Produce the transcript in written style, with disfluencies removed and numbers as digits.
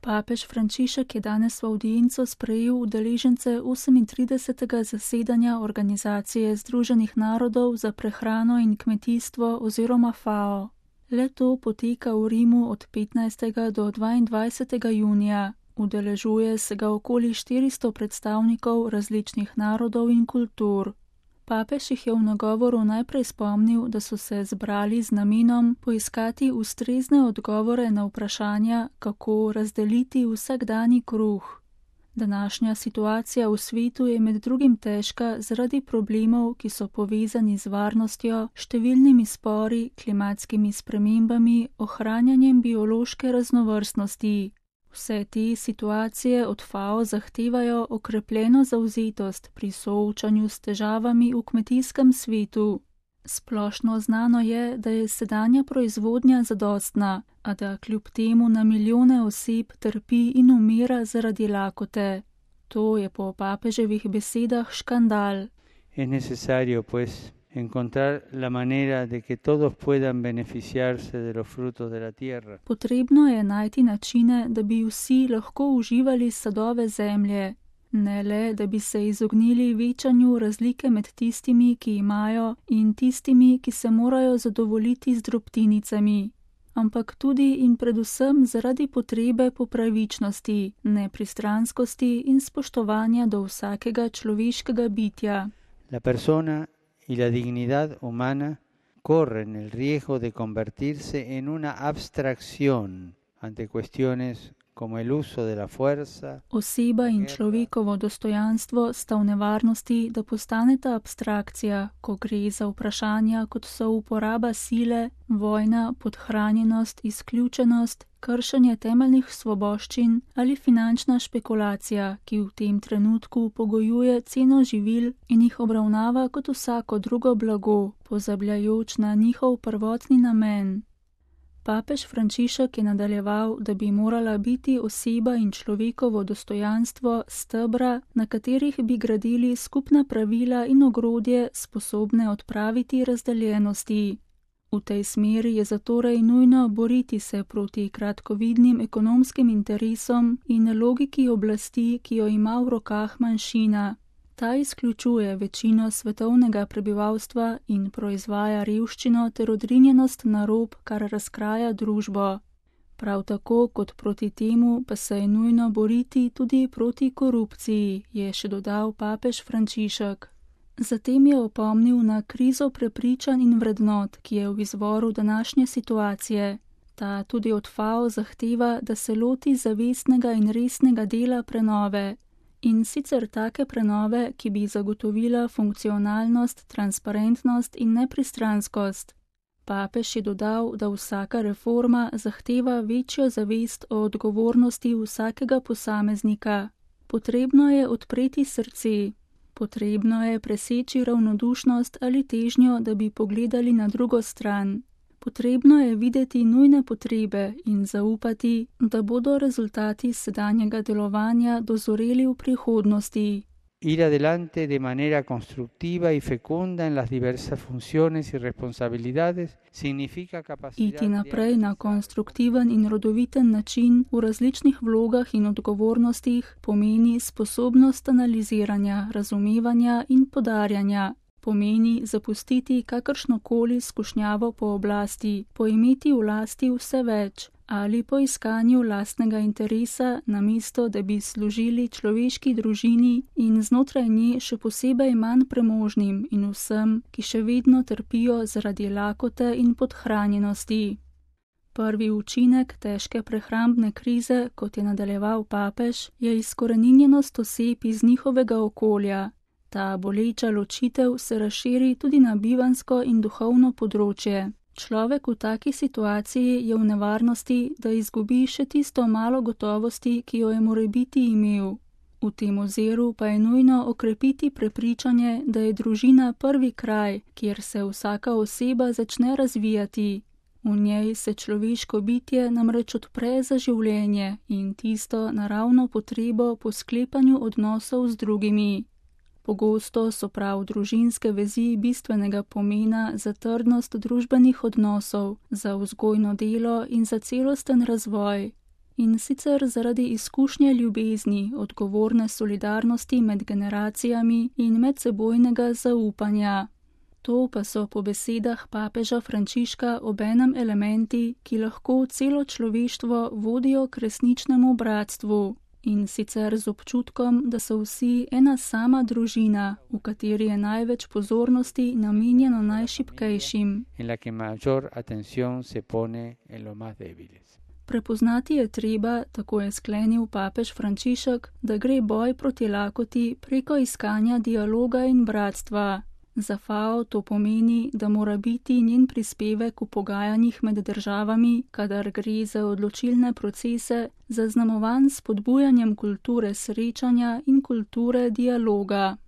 Papež Frančišek je danes v avdienco sprejel udeležence 38. zasedanja Organizacije Združenih narodov za prehrano in kmetijstvo oziroma FAO. Le-to poteka v Rimu od 15. do 22. junija. Udeležuje se ga okoli 400 predstavnikov različnih narodov in kultur. Papež jih je v nagovoru najprej spomnil, da so se zbrali z namenom poiskati ustrezne odgovore na vprašanja, kako razdeliti vsakdanji kruh. Današnja situacija v svetu je med drugim težka zaradi problemov, ki so povezani z varnostjo, številnimi spori, klimatskimi spremembami, ohranjanjem biološke raznovrstnosti. Vse te situacije od FAO zahtevajo okrepljeno zavzetost pri soočanju s težavami v kmetijskem svetu. Splošno znano je, da je sedanja proizvodnja zadostna, a da kljub temu na milijone oseb trpi in umira zaradi lakote. To je po papeževih besedah škandal. Es necesario, pues, encontrar la manera de que todos puedan beneficiarse de los frutos de la tierra. Potrebno je najti načine, da bi vsi lahko uživali sadove zemlje. Ne le, da bi se izognili večanju razlike med tistimi, ki imajo, in tistimi, ki se morajo zadovoljiti z drobtinicami, ampak tudi in predvsem zaradi potrebe po pravičnosti, nepristranskosti in spoštovanja do vsakega človeškega bitja. La persona y la dignidad humana corren el riesgo de convertirse en una abstracción ante cuestiones como el uso de la fuerza. Oseba in človekovo dostojanstvo sta v nevarnosti, da postaneta abstrakcija, ko gre za vprašanja, kot so uporaba sile, vojna, podhranjenost, izključenost, kršenje temeljnih svoboščin ali finančna špekulacija, ki v tem trenutku pogojuje ceno živil in jih obravnava kot vsako drugo blago, pozabljajoč na njihov prvotni namen. Papež Frančišek je nadaljeval, da bi morala biti oseba in človekovo dostojanstvo stebra, na katerih bi gradili skupna pravila in ogrodje, sposobne odpraviti razdeljenosti. V tej smeri je zatorej nujno boriti se proti kratkovidnim ekonomskim interesom in logiki oblasti, ki jo ima v rokah manjšina. Ta izključuje večino svetovnega prebivalstva in proizvaja revščino ter odrinjenost na rob, kar razkraja družbo. Prav tako kot proti temu pa se je nujno boriti tudi proti korupciji, je še dodal papež Frančišek. Zatem je opomnil na krizo prepričanj in vrednot, ki je v izvoru današnje situacije. Ta tudi od FAO zahteva, da se loti zavestnega in resnega dela prenove. In sicer take prenove, ki bi zagotovila funkcionalnost, transparentnost in nepristranskost. Papež je dodal, da vsaka reforma zahteva večjo zavest o odgovornosti vsakega posameznika. Potrebno je odpreti srce. Potrebno je preseči ravnodušnost ali težnjo, da bi pogledali na drugo stran. Potrebno je videti nujne potrebe in zaupati, da bodo rezultati sedanjega delovanja dozoreli v prihodnosti. Ir adelante de manera constructiva y fecunda en las diversas funciones y responsabilidades significa capacidad. Iti naprej na konstruktiven in rodoviten način v različnih vlogah in odgovornostih pomeni sposobnost analiziranja, razumevanja in podarjanja. Pomeni zapustiti kakršnokoli skušnjavo po oblasti, poimeti v lasti vse več ali po iskanju lastnega interesa, namesto da bi služili človeški družini in znotraj nje še posebej manj premožnim in vsem, ki še vedno trpijo zaradi lakote in podhranjenosti. Prvi učinek težke prehrambne krize, kot je nadaljeval papež, je izkoreninjenost oseb iz njihovega okolja. Ta boleča ločitev se razširi tudi na bivanjsko in duhovno področje. Človek v taki situaciji je v nevarnosti, da izgubi še tisto malo gotovosti, ki jo je morebiti imel. V tem oziru pa je nujno okrepiti prepričanje, da je družina prvi kraj, kjer se vsaka oseba začne razvijati. V njej se človeško bitje namreč odpre za življenje in tisto naravno potrebo po sklepanju odnosov z drugimi. Pogosto so prav družinske vezi bistvenega pomena za trdnost družbenih odnosov, za vzgojno delo in za celosten razvoj. in sicer zaradi izkušnje ljubezni, odgovorne solidarnosti med generacijami in medsebojnega zaupanja. To pa so po besedah papeža Frančiška obenem elementi, ki lahko celo človeštvo vodijo k resničnemu bratstvu, in sicer z občutkom, da so vsi ena sama družina, v kateri je največ pozornosti namenjeno najšibkejšim. Prepoznati je treba, tako je sklenil papež Frančišek, da gre boj proti lakoti preko iskanja dialoga in bratstva. Za FAO to pomeni, da mora biti njen prispevek v pogajanjih med državami, kadar gre za odločilne procese, zaznamovan s spodbujanjem kulture srečanja in kulture dialoga.